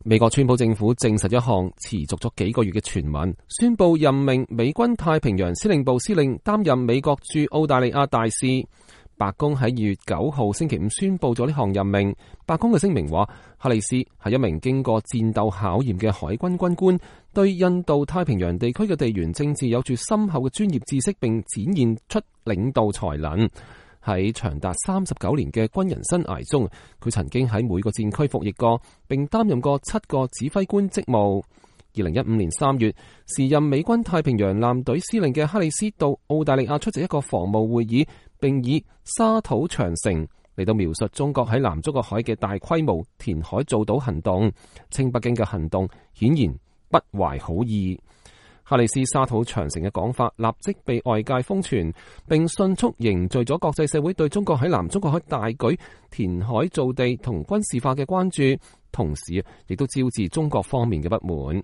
美國川普政府證實一項持續咗幾個月嘅傳聞，宣布任命美軍太平洋司令部司令擔任美國駐澳大利亞大使。白宮喺2月9號星期五宣布咗呢項任命。白宮嘅聲明話，哈里斯係一名經過戰鬥考驗嘅海軍軍官，對印度太平洋地區嘅地緣政治有住深厚嘅專業知識，並展現出領導才能。喺長達39年嘅軍人生涯中，佢曾經喺每個戰區服役過，並擔任過7個指揮官職務。2015年3月，時任美軍太平洋艦隊司令嘅哈里斯到澳大利亞出席一個防務會議，並以沙土長城嚟到描述中國喺南中國海嘅大規模填海造島行動，稱北京嘅行動顯然不懷好意。哈里斯沙土長城嘅講法立即被外界瘋傳，並迅速凝聚咗國際社會對中國喺南中國海大舉填海造地同軍事化嘅關注，同時亦都招致中國方面嘅不滿。